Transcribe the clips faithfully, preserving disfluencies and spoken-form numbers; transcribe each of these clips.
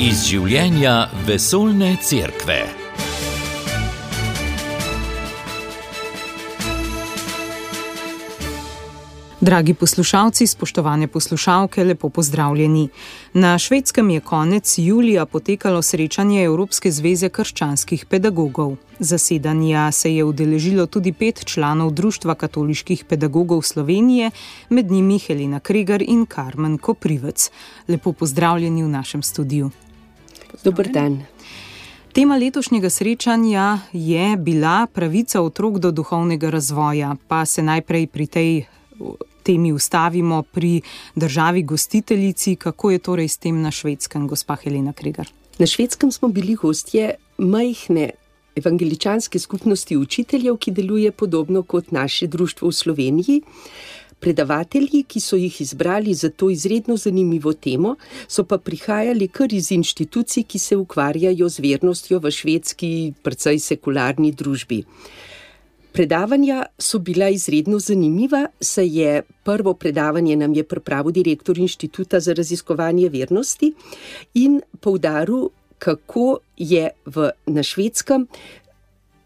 Iz življenja vesoljne cerkve. Dragi poslušalci, spoštovane poslušalke, lepo pozdravljeni. Na Švedskem je konec julija potekalo srečanje Evropske zveze krščanskih pedagogov. Zasedanja se je udeležilo tudi pet članov Društva katoliških pedagogov Slovenije, med njimi Helena Kregar in Karmen Koprivec. Lepo pozdravljeni v našem studiu. Dober dan. Tema letošnjega srečanja je bila pravica otrok do duhovnega razvoja, pa se najprej pri tej temi ustavimo pri državi gostiteljici. Kako je torej s tem na Švedskem, gospa Helena Kregar? Na Švedskem smo bili gostje majhne evangeličanske skupnosti učiteljev, ki deluje podobno kot naše društvo v Sloveniji. Predavatelji, ki so jih izbrali za to izredno zanimivo temo, so pa prihajali kar iz inštitucij, ki se ukvarjajo z vernostjo v švedski, precej sekularni družbi. Predavanja so bila izredno zanimiva, saj je prvo predavanje nam je pripravil direktor Inštituta za raziskovanje vernosti in poudaril, kako je v, na Švedskem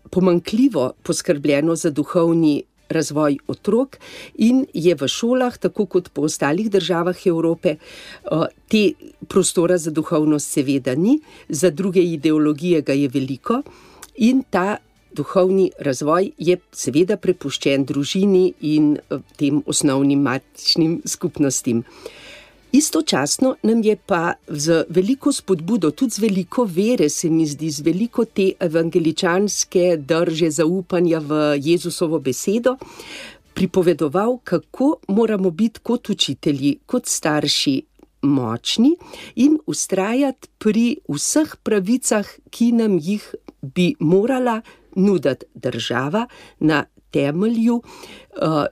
pomanjkljivo poskrbljeno za duhovni razvoj otrok in je v šolah, tako kot po ostalih državah Evrope, te prostora za duhovnost seveda ni, za druge ideologije ga je veliko in ta duhovni razvoj je seveda prepuščen družini in tem osnovnim matičnim skupnostim. Istočasno nam je pa z veliko spodbudo, tudi z veliko vere, se mi zdi, z veliko te evangeličanske drže zaupanja v Jezusovo besedo, pripovedoval, kako moramo biti kot učitelji, kot starši močni in vztrajati pri vseh pravicah, ki nam jih bi morala nuditi država na temelju uh,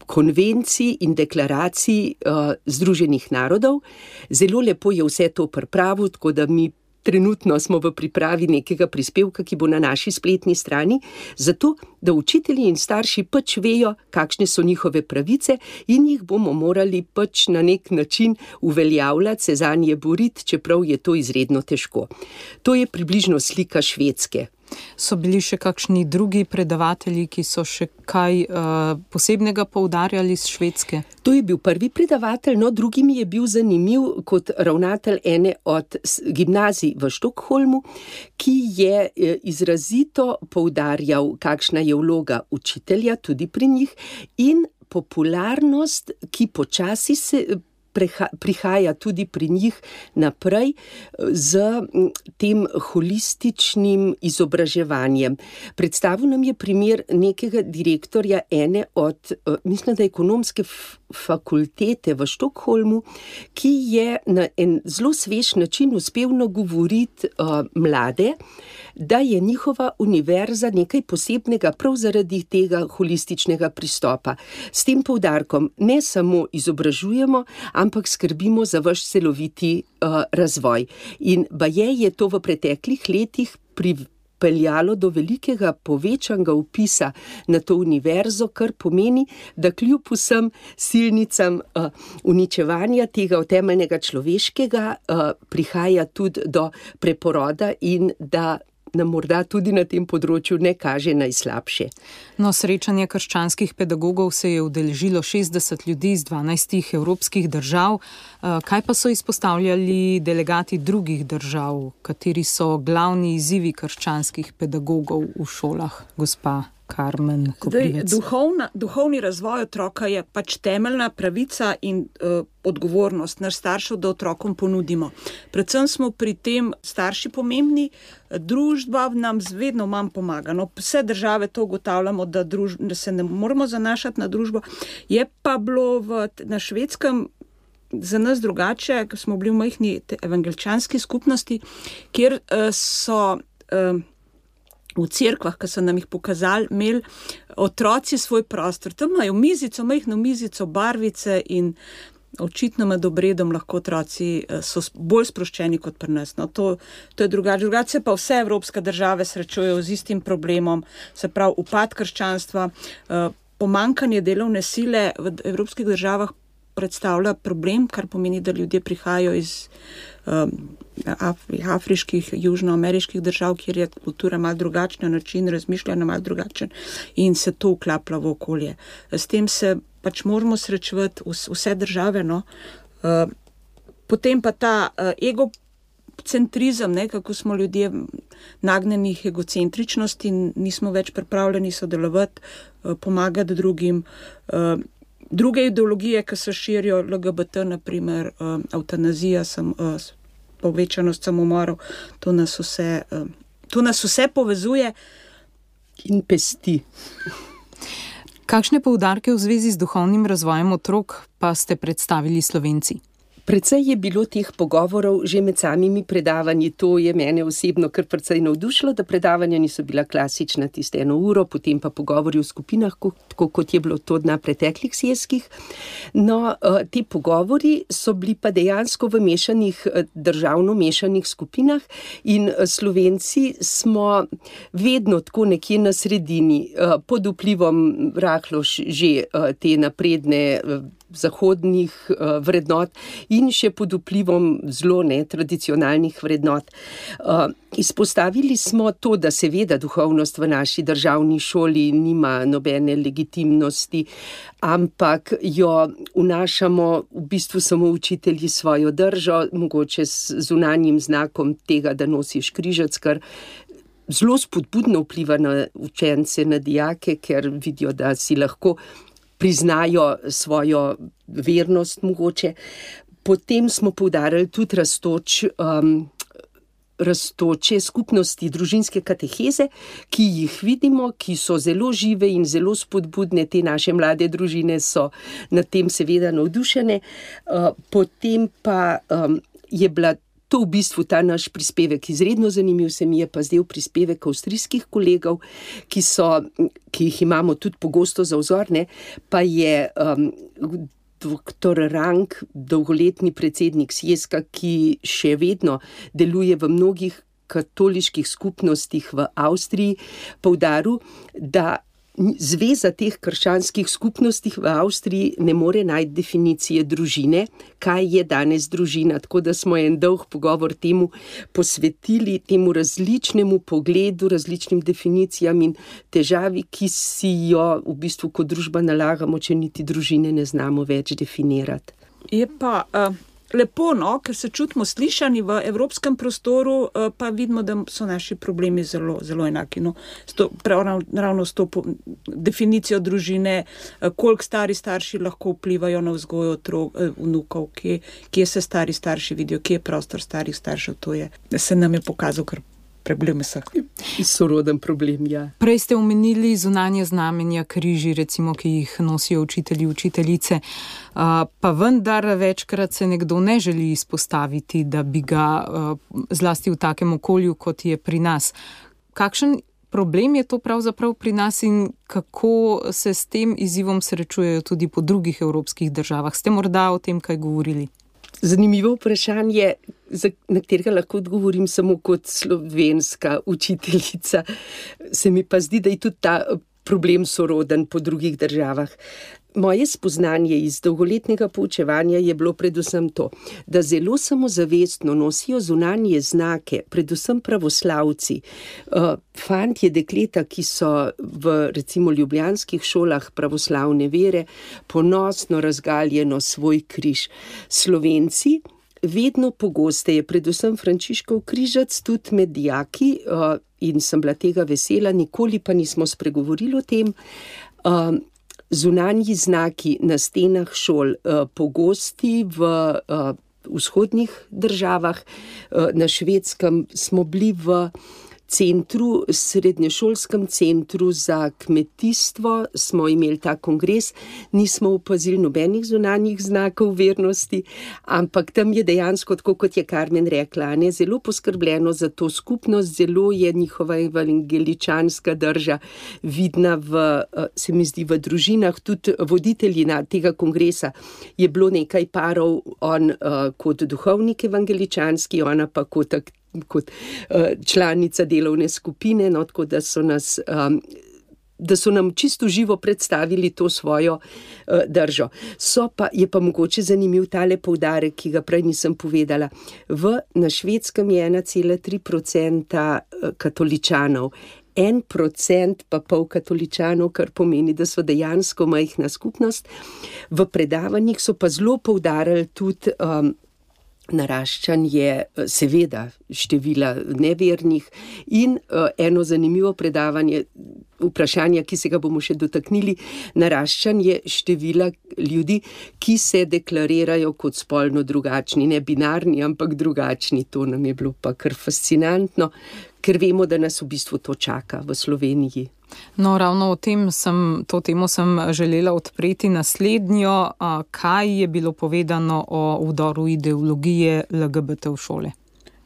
konvencij in deklaracij uh, Združenih narodov. Zelo lepo je vse to pripravil, tako da mi trenutno smo v pripravi nekega prispevka, ki bo na naši spletni strani, zato da učitelji in starši pač vejo, kakšne so njihove pravice in jih bomo morali pač na nek način uveljavljati, se zanje boriti, čeprav je to izredno težko. To je približno slika Švedske. So bili še kakšni drugi predavatelji, ki so še kaj uh, posebnega poudarjali z Švedske? To je bil prvi predavatelj, no drugi mi je bil zanimiv kot ravnatelj ene od gimnazij v Štokholmu, ki je izrazito poudarjal, kakšna je vloga učitelja tudi pri njih in popularnost, ki počasi se prihaja tudi pri njih naprej z tem holističnim izobraževanjem. Predstavil nam je primer nekega direktorja ene od, mislim, da ekonomske fakultete v Štokholmu, ki je na en zelo svež način uspel nagovoriti uh, mlade, da je njihova univerza nekaj posebnega prav zaradi tega holističnega pristopa. S tem poudarkom ne samo izobražujemo, ampak skrbimo za vaš celoviti uh, razvoj. In baje je to v preteklih letih pripeljalo do velikega povečanega vpisa na to univerzo, kar pomeni, da kljub vsem silnicam uh, uničevanja tega temeljnega človeškega uh, prihaja tudi do preporoda in da nam morda tudi na tem področju ne kaže najslabše. No, srečanje krščanskih pedagogov se je udeležilo šestdeset ljudi iz dvanajstih evropskih držav. Kaj pa so izpostavljali delegati drugih držav? Kateri so glavni izzivi krščanskih pedagogov v šolah, gospa Karmen Koprivec? Duhovna, duhovni razvoj otroka je pač temeljna pravica in uh, odgovornost naš staršev, da otrokom ponudimo. Predvsem smo pri tem starši pomembni, družba nam vedno manj pomaga. No, vse države to ugotavljamo, da, druž, da se ne moramo zanašati na družbo. Je pa bilo v, na Švedskem za nas drugače, ker smo bili v majhni evangeličanski skupnosti, kjer uh, so uh, v cerkvah, ki so nam jih pokazali, imeli otroci svoj prostor. Tam imajo mizico, majhno mizico, barvice in očitno med obredom lahko otroci so bolj sproščeni kot pri nas. No, to, to je drugače. Drugače se pa vse evropske države srečujejo z istim problemom, se pravi upad krščanstva, pomanjkanje delovne sile v evropskih državah predstavlja problem, kar pomeni, da ljudje prihajajo iz um, af, afriških, južnoameriških držav, kjer je kultura malo drugačna, način razmišljanja malo drugačen in se to vklaplja v okolje. S tem se pač moramo srečevati vse države, no. Uh, potem pa ta uh, egocentrizem, ne, kako smo ljudje nagnjeni k egocentričnosti, nismo več pripravljeni sodelovati, uh, pomagati drugim. Uh, druge ideologije, ki se širijo, L G B T, naprimer, uh, eutanazija, sem, uh, povečanost samomorov, to nas vse, uh, to nas vse povezuje in pesti. Kakšne poudarke v zvezi z duhovnim razvojem otrok pa ste predstavili Slovenci? Precej je bilo teh pogovorov že med samimi predavanji, to je mene osebno kar precej navdušilo, da predavanja niso bila klasična tiste eno uro, potem pa pogovori v skupinah, tako kot je bilo to na preteklih sjezkih. No, ti pogovori so bili pa dejansko v mešanih, državno mešanih skupinah in Slovenci smo vedno tako nekje na sredini, pod vplivom rahlo že te napredne zahodnih uh, vrednot in še pod vplivom zelo netradicionalnih vrednot. Uh, izpostavili smo to, da seveda duhovnost v naši državni šoli nima nobene legitimnosti, ampak jo vnašamo v bistvu samo učitelji svojo držo, mogoče z zunanjim znakom tega, da nosiš križec, kar zelo spodbudno vpliva na učence, na dijake, ker vidijo, da si lahko priznajo svojo vernost mogoče. Potem smo poudarili tudi rastoč, um, rastoče skupnosti družinske kateheze, ki jih vidimo, ki so zelo žive in zelo spodbudne. Te naše mlade družine so nad tem seveda navdušene. Uh, potem pa um, je bila to v bistvu ta naš prispevek izredno zanimiv, se mi je pa zdel prispevek avstrijskih kolegov, ki so, ki jih imamo tudi pogosto za vzor, ne, pa je um, doktor Rank, dolgoletni predsednik sjezka, ki še vedno deluje v mnogih katoliških skupnostih v Avstriji, poudaril, da Zveza teh krščanskih skupnosti v Avstriji ne more najti definicije družine, kaj je danes družina, tako da smo en dolg pogovor temu posvetili, temu različnemu pogledu, različnim definicijam in težavi, ki si jo v bistvu kot družba nalagamo, če niti družine ne znamo več definirati. Je pa uh, lepo, no, ker se čutimo slišani v evropskem prostoru, uh, pa vidimo, da so naši problemi zelo, zelo enaki. No, sto, prav, ravno s to po, definicijo družine, uh, koliko stari starši lahko vplivajo na vzgojo otrok, uh, vnukov, kje, kje se stari starši vidijo, kje je prostor starih staršev, to je, se nam je pokazal kar problem vseh. Soroden problem, ja. Prej ste omenili zunanje znamenja, križi, recimo, ki jih nosijo učitelji, učiteljice, uh, pa vendar večkrat se nekdo ne želi izpostaviti, da bi ga uh, zlasti v takem okolju, kot je pri nas. Kakšen problem je to pravzaprav pri nas in kako se s tem izzivom srečujejo tudi po drugih evropskih državah? Ste morda o tem kaj govorili? Zanimivo vprašanje, na katerega lahko odgovorim samo kot slovenska učiteljica. Se mi pa zdi, da je tudi ta problem soroden po drugih državah. Moje spoznanje iz dolgoletnega poučevanja je bilo predvsem to, da zelo samozavestno nosijo zunanje znake, predvsem pravoslavci. Fantje, dekleta, ki so v recimo ljubljanskih šolah pravoslavne vere, ponosno razgaljeno svoj križ. Slovenci vedno pogosteje, predvsem Frančiškov križac, tudi med dijaki, in sem bila tega vesela, nikoli pa nismo spregovorili o tem. Zunanji znaki na stenah šol, pogosti v vzhodnih državah, na Švedskem smo bili v centru, srednješolskem centru za kmetijstvo, smo imeli ta kongres, nismo opazili nobenih zunanjih znakov vernosti, ampak tam je dejansko, tako kot je Karmen rekla, ne, zelo poskrbljeno za to skupnost, zelo je njihova evangeličanska drža vidna v, se mi zdi, v družinah, tudi voditelji na tega kongresa je bilo nekaj parov, on uh, kot duhovnik evangeličanski, ona pa kot kot uh, članica delovne skupine, no, tako da so nas um, da so nam čisto živo predstavili to svojo uh, držo. So pa, je pa mogoče zanimiv tale poudarek, ki ga prej nisem povedala. V, na Švedskem je ena cela tri procenta katoličanov, en procent pa pol katoličanov, kar pomeni, da so dejansko majhna skupnost. V predavanjih so pa zelo poudarili tudi um, naraščanje seveda števila nevernih in uh, eno zanimivo predavanje, vprašanja, ki se ga bomo še dotaknili, naraščanje števila ljudi, ki se deklarirajo kot spolno drugačni, ne binarni, ampak drugačni. To nam je bilo pa kar fascinantno, ker vemo, da nas v bistvu to čaka v Sloveniji. No, ravno o tem sem, to temo sem želela odpreti naslednjo. Kaj je bilo povedano o vdoru ideologije L G B T v šole?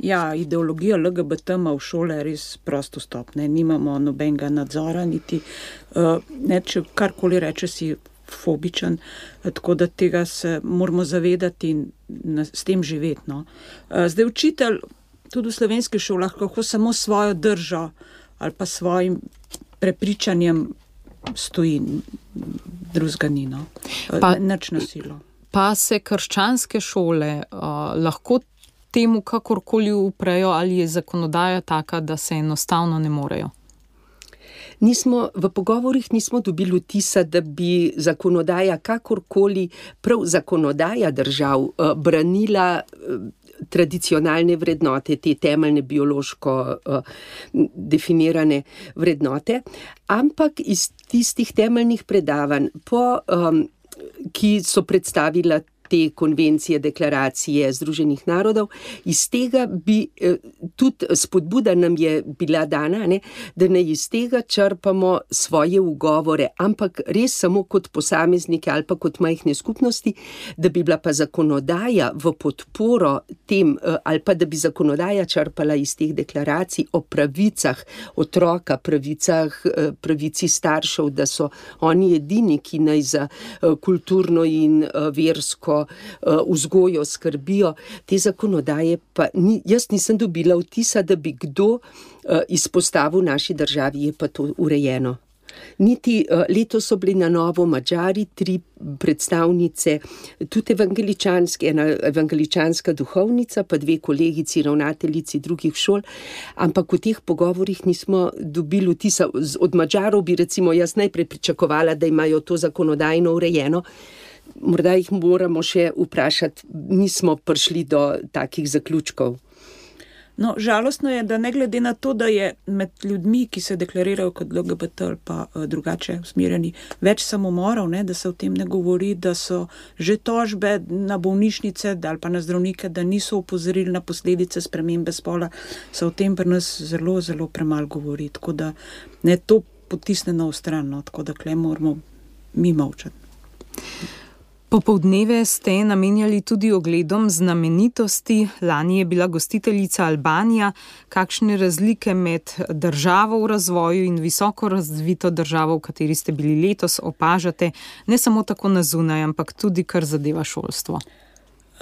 Ja, ideologija L G B T ima v šole res prost vstop, ne, nimamo nobenega nadzora, niti uh, ne, če karkoli reče si fobičen, tako da tega se moramo zavedati in na, s tem živeti. No. Uh, zdaj učitelj tudi v slovenskih šolah lahko samo svojo držo ali pa svojim prepričanjem stoji, drugega ni, no. Pa, nič nasilo. Pa se krščanske šole uh, lahko temu kakorkoli uprejo, ali je zakonodaja taka, da se enostavno ne morejo? Nismo, v pogovorih nismo dobili vtisa, da bi zakonodaja kakorkoli, prav zakonodaja držav, uh, branila uh, tradicionalne vrednote, te temeljne biološko uh, definirane vrednote, ampak iz tistih temeljnih predavanj, po, um, ki so predstavila te konvencije, deklaracije Združenih narodov, iz tega bi eh, tudi spodbuda nam je bila dana, ne, da ne iz tega črpamo svoje ugovore, ampak res samo kot posameznike ali pa kot majhne skupnosti, da bi bila pa zakonodaja v podporo tem, eh, ali pa da bi zakonodaja črpala iz teh deklaracij o pravicah otroka, pravicah, eh, pravici staršev, da so oni edini, ki naj za eh, kulturno in eh, versko vzgojo skrbijo. Te zakonodaje pa ni, jaz nisem dobila vtisa, da bi kdo izpostavil naši državi, je pa to urejeno. Niti letos so bili na novo Madžari, tri predstavnice, tudi evangeličanske, ena evangeličanska duhovnica, pa dve kolegici, ravnateljici drugih šol, ampak v teh pogovorih nismo dobili vtisa. Od Madžarov bi recimo jaz najprej pričakovala, da imajo to zakonodajno urejeno. Morda jih moramo še vprašati, nismo prišli do takih zaključkov. No, žalostno je, da ne glede na to, da je med ljudmi, ki se deklarirajo kot L G B T ali pa uh, drugače usmerjeni, več samomorov, ne, da se o tem ne govori, da so že tožbe na bolnišnice ali pa na zdravnike, da niso opozorili na posledice spremembe spola, se o tem pri nas zelo, zelo premalo govori. Tako da ne to potisne na stran, no, tako da kle moramo mi molčati. Popoldneve ste namenjali tudi ogledom znamenitosti. Lani je bila gostiteljica Albanija. Kakšne razlike med državo v razvoju in visoko razvito državo, v kateri ste bili letos, opažate, ne samo tako na zunaj, ampak tudi kar zadeva šolstvo?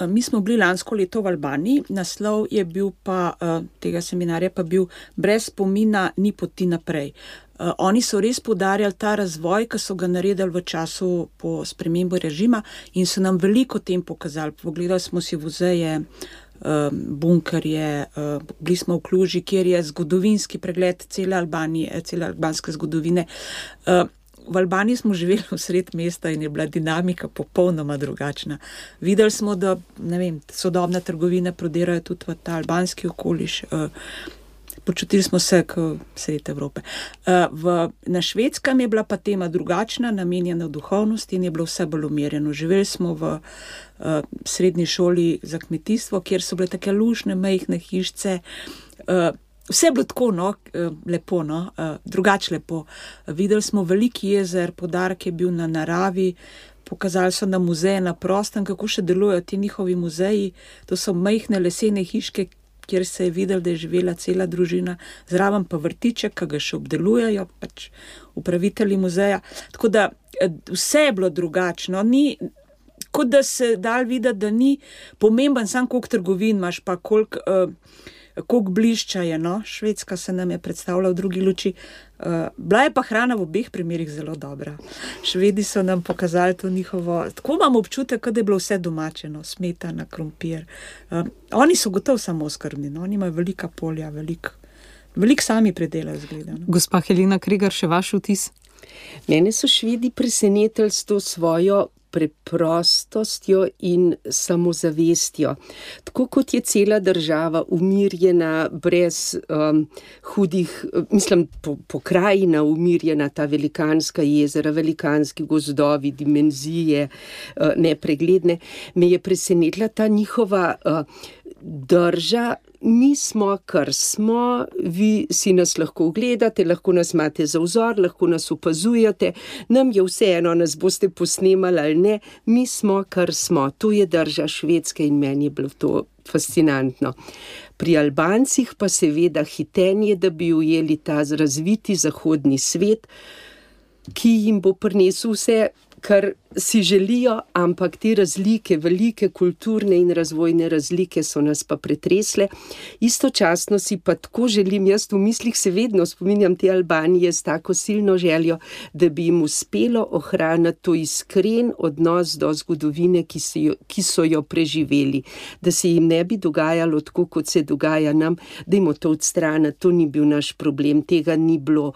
Mi smo bili lansko leto v Albaniji, naslov je bil pa, tega seminarja pa bil Brez spomina ni poti naprej. Uh, oni so res poudarjali ta razvoj, ki so ga naredili v času po spremembi režima in so nam veliko tem pokazali. Pogledali smo si muzeje, uh, bunkerje, uh, bili smo v Kluži, kjer je zgodovinski pregled cele Albanije, cele albanske zgodovine. Uh, v Albaniji smo živeli v sred mesta in je bila dinamika popolnoma drugačna. Videli smo, da ne vem, sodobne trgovine prodirajo tudi v ta albanski okoliš. Uh, Počutili smo se kot sred Evrope. V, na Švedskem je bila pa tema drugačna, namenjena duhovnosti in je bilo vse bolj umirjeno. Živeli smo v uh, srednji šoli za kmetijstvo, kjer so bile take lušne, majhne hišce. Uh, vse je bilo tako, no, lepo, no, uh, drugače lepo. Videli smo veliki jezer, poudarek je bil na naravi, pokazali so nam muzeje na prostem, kako še delujejo ti njihovi muzeji. To so majhne lesene hiške, kjer se je videl, da je živela cela družina, zraven pa vrtiček, ki ga še obdelujejo, pač upravitelji muzeja. Tako da vse je bilo drugačno. Ni, kot da se dal videti, da ni pomemben sam koliko trgovin imaš, pa koliko uh, koliko blišča je, no, Švedska se nam je predstavila v drugi luči. Uh, bila je pa hrana v obeh primerih zelo dobra. Švedi so nam pokazali to njihovo, tako imam občutek, da je bilo vse domačeno, smetana, krompir. Uh, oni so gotovo samooskrbni, no? Oni imajo velika polja, veliko velik sami predelajo zgleda. No? Gospa Helena Kregar, še vaš vtis? Mene so Švedi presenetili s to svojo preprostostjo in samozavestjo. Tako kot je cela država umirjena, brez um, hudih, mislim, po, pokrajina umirjena, ta velikanska jezera, velikanski gozdovi, dimenzije, uh, nepregledne, me je presenetila ta njihova uh, drža. Mi smo, kar smo, vi si nas lahko ogledate, lahko nas imate za vzor, lahko nas opazujete, nam je vseeno, nas boste posnemali ali ne, mi smo, kar smo. To je drža Švedske in meni je bilo to fascinantno. Pri Albancih pa seveda hitenje, da bi ujeli ta razviti zahodni svet, ki jim bo prinesel vse, kar si želijo, ampak te razlike, velike kulturne in razvojne razlike so nas pa pretresle. Istočasno si pa tako želim, jaz v mislih se vedno spominjam te Albanije s tako silno željo, da bi jim uspelo ohraniti to iskren odnos do zgodovine, ki so jo, ki so jo preživeli. Da se jim ne bi dogajalo tako, kot se dogaja nam, da jim to odstrani, to ni bil naš problem, tega ni bilo.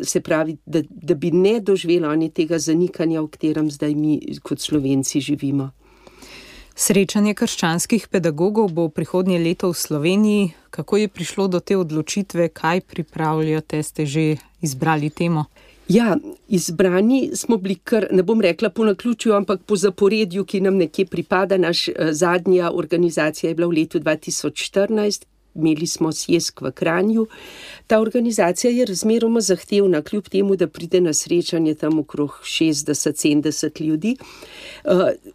Se pravi, da, da bi ne doživeli oni tega zanikanja, v katerem zdaj mi kot Slovenci živimo. Srečanje krščanskih pedagogov bo prihodnje leto v Sloveniji. Kako je prišlo do te odločitve? Kaj pripravljate? Ste že izbrali temo? Ja, izbrani smo bili kar, ne bom rekla po naključju, ampak po zaporedju, ki nam nekje pripada. Naš zadnja organizacija je bila v letu dva tisoč štirinajst. Imeli smo sjesk v Kranju. Ta organizacija je razmeroma zahtevna, kljub temu, da pride na srečanje tam okrog šestdeset sedemdeset ljudi.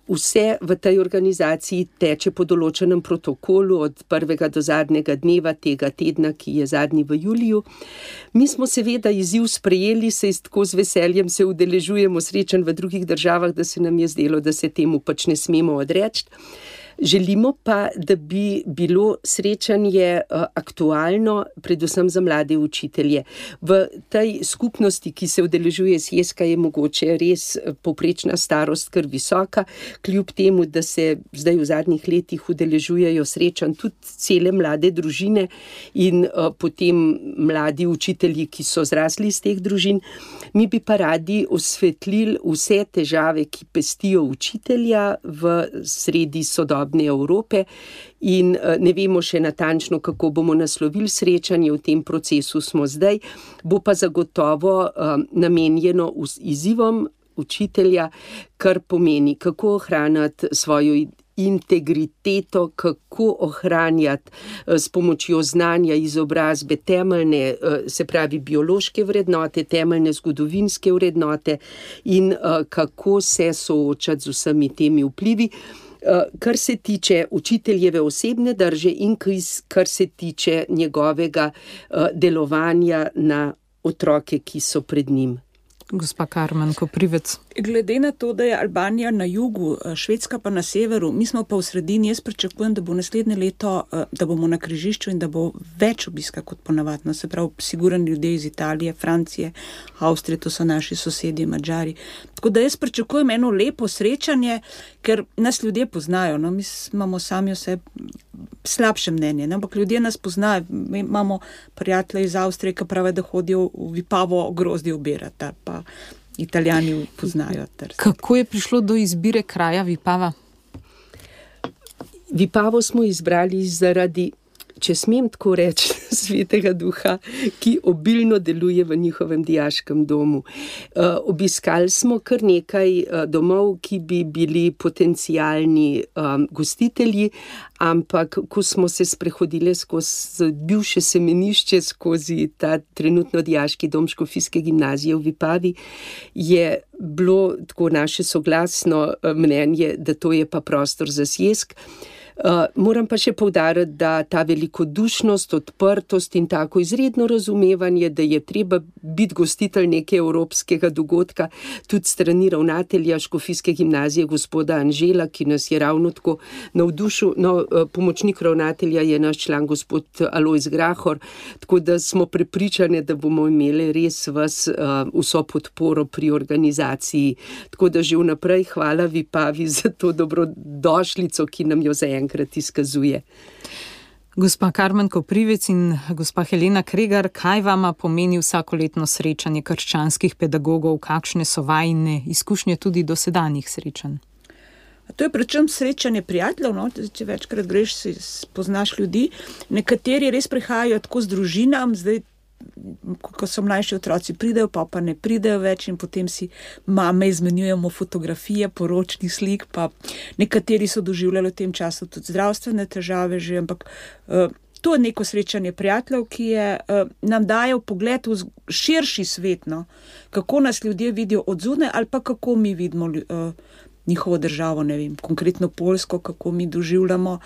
Vse v tej organizaciji teče po določenem protokolu od prvega do zadnjega dneva tega tedna, ki je zadnji v juliju. Mi smo seveda izziv sprejeli, se tako z veseljem se udeležujemo srečanj v drugih državah, da se nam je zdelo, da se temu pač ne smemo odreči. Želimo pa, da bi bilo srečanje aktualno, predvsem za mlade učitelje. V tej skupnosti, ki se udeležuje sjeska, je mogoče res povprečna starost kar visoka, kljub temu, da se zdaj v zadnjih letih udeležujejo srečanj tudi cele mlade družine in potem mladi učitelji, ki so zrasli iz teh družin. Mi bi pa radi osvetlili vse težave, ki pestijo učitelja v sredi sodobnosti Evrope in ne vemo še natančno, kako bomo naslovili srečanje, v tem procesu smo zdaj, bo pa zagotovo um, namenjeno izzivom učitelja, kar pomeni, kako ohranjati svojo integriteto, kako ohranjati s pomočjo znanja, izobrazbe temeljne, se pravi biološke vrednote, temeljne zgodovinske vrednote in kako se soočati z vsemi temi vplivi. Kar se tiče učiteljeve osebne drže in kar se tiče njegovega delovanja na otroke, ki so pred njim. Gospa Karmen Koprivec. Glede na to, da je Albanija na jugu, Švedska pa na severu, mi smo pa v sredini, jaz pričakujem, da bo naslednje leto, da bomo na križišču in da bo več obiska kot ponavadno. Se pravi, sigurni ljudje iz Italije, Francije, Avstrije, to so naši sosedje, Madžari. Tako da jaz pričakujem eno lepo srečanje, ker nas ljudje poznajo. No? Mi imamo sami vse slabše mnenje, ne? Ampak ljudje nas poznajo. Mi imamo prijatelje iz Avstrije, ki pravijo, da hodijo v Vipavo grozdje obirati, pa Italijani poznajo. Kako je prišlo do izbire kraja Vipava? Vipavo smo izbrali zaradi, če smem tako reči, Svetega Duha, ki obilno deluje v njihovem dijaškem domu. Uh, obiskali smo kar nekaj uh, domov, ki bi bili potencialni um, gostitelji, ampak ko smo se sprehodili skozi bivše semenišče, skozi ta trenutno dijaški dom Škofijske gimnazije v Vipavi, je bilo tako naše soglasno mnenje, da to je pa prostor za sjesk. Moram pa še poudariti, da ta velikodušnost, odprtost in tako izredno razumevanje, da je treba biti gostitelj nekega evropskega dogodka, tudi strani ravnatelja Škofijske gimnazije gospoda Anžela, ki nas je ravno tako navdušil. No, pomočnik ravnatelja je naš član gospod Alojz Grahor, tako da smo prepričani, da bomo imeli res vas vso podporo pri organizaciji. Tako da že vnaprej hvala Vipavi za to dobrodošlico, ki nam jo zaenkrat izkazuje. Gospa Karmen Koprivec in gospa Helena Kregar, kaj vama pomeni vsakoletno srečanje krščanskih pedagogov, kakšne so vajine izkušnje tudi dosedanjih srečanj? To je predvsem srečanje prijateljev, no? Če večkrat greš, si spoznaš ljudi. Nekateri res prihajajo tako z družinam, zdaj, ko so mlajši otroci pridejo, pa pa ne pridejo več in potem si mame izmenjujemo fotografije, poročnih slik, pa nekateri so doživljali v tem času tudi zdravstvene težave že, ampak uh, to je neko srečanje prijateljev, ki je, uh, nam daje pogled v širši svet, no? Kako nas ljudje vidijo od zunaj ali pa kako mi vidimo uh, njihovo državo, ne vem, konkretno Poljsko, kako mi doživljamo,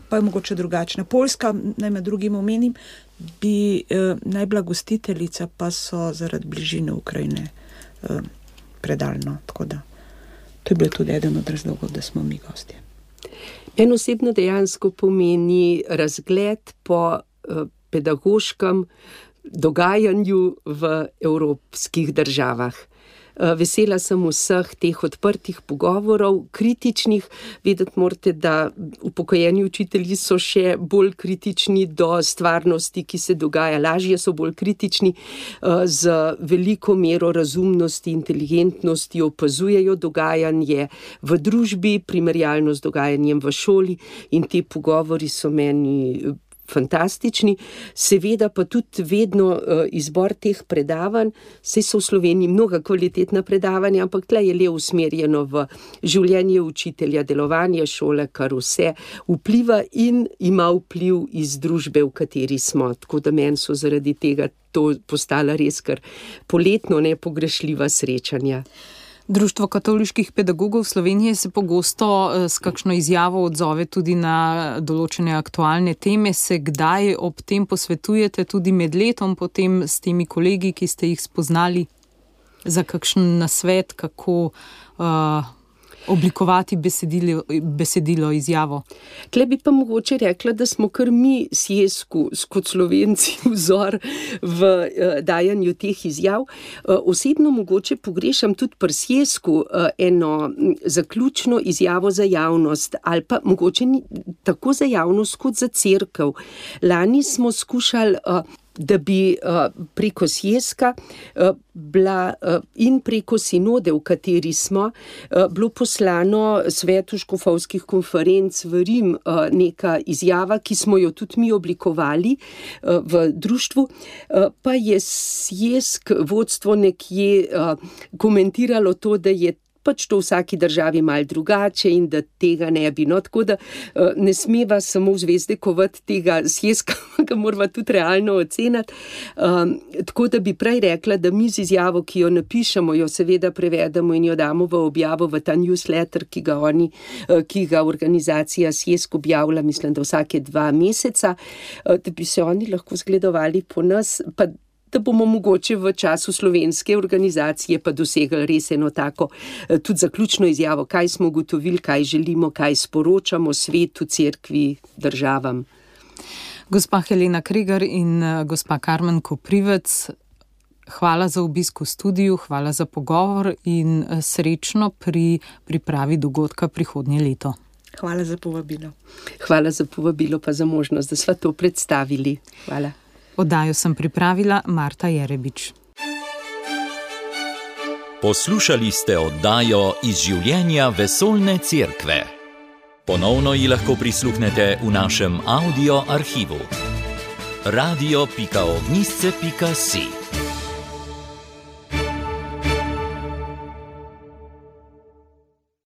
pa je mogoče drugačna. Poljska, naj med drugim omenim, bi eh, naj bila gostiteljica, pa so zaradi bližine Ukrajine eh, predaljno. Tako da to je bil tudi eden od razlogov, da smo mi gostje. En osebno dejansko pomeni razgled po eh, pedagoškem dogajanju v evropskih državah. Vesela sem vseh teh odprtih pogovorov, kritičnih. Vedeti morate, da upokojeni učitelji so še bolj kritični do stvarnosti, ki se dogaja. Lažje so bolj kritični, z veliko mero razumnosti, inteligentnosti opazujejo dogajanje v družbi, primerjalno z dogajanjem v šoli, in ti pogovori so meni fantastični. Seveda pa tudi vedno uh, izbor teh predavanj, saj so v Sloveniji mnoga kvalitetna predavanja, ampak tle je le usmerjeno v življenje učitelja, delovanje šole, kar vse vpliva in ima vpliv iz družbe, v kateri smo. Tako da meni so zaradi tega to postala res kar poletno nepogrešljiva srečanja. Društvo katoliških pedagogov Slovenije se pogosto s kakšno izjavo odzove tudi na določene aktualne teme. Se kdaj ob tem posvetujete tudi med letom potem s temi kolegi, ki ste jih spoznali, za kakšen nasvet, kako uh, oblikovati besedilo, besedilo izjavo? Tle bi pa mogoče rekla, da smo kar mi Sjesku kot Slovenci vzor v uh, dajanju teh izjav. Uh, osebno mogoče pogrešam tudi pri Sjesku uh, eno zaključno izjavo za javnost, ali pa mogoče ni tako za javnost kot za cerkev. Lani smo skušali uh, da bi uh, preko Sjeska uh, bila uh, in preko sinode, v kateri smo, uh, bilo poslano svetu škofovskih konferenc v Rim uh, neka izjava, ki smo jo tudi mi oblikovali uh, v društvu, uh, pa je Sjesk vodstvo nekje uh, komentiralo to, da je pač to v vsaki državi malo drugače in da tega ne bi. No, tako da uh, ne smeva samo v zvezde kovati tega Sjeska, ga morava tudi realno oceniti. Um, tako da bi prej rekla, da mi z izjavo, ki jo napišemo, jo seveda prevedemo in jo damo v objavo v ta newsletter, ki ga oni, uh, ki ga organizacija Sjesk objavlja, mislim, da vsake dva meseca, uh, da bi se oni lahko zgledovali po nas, pa da bomo mogoče v času slovenske organizacije pa dosegli res eno tako tudi zaključno izjavo, kaj smo ugotovili, kaj želimo, kaj sporočamo svetu, cerkvi, državam. Gospa Helena Kregar in gospa Karmen Koprivec, hvala za obisk v studiu, hvala za pogovor in srečno pri pripravi dogodka prihodnje leto. Hvala za povabilo. Hvala za povabilo pa za možnost, da sva to predstavili. Hvala. Oddajo sem pripravila Marta Jerebič. Poslušali ste oddajo iz življenja Vesoljne cerkve. Ponovno ji lahko prisluhnete v našem audio arhivu. radio pika ognjišče pika si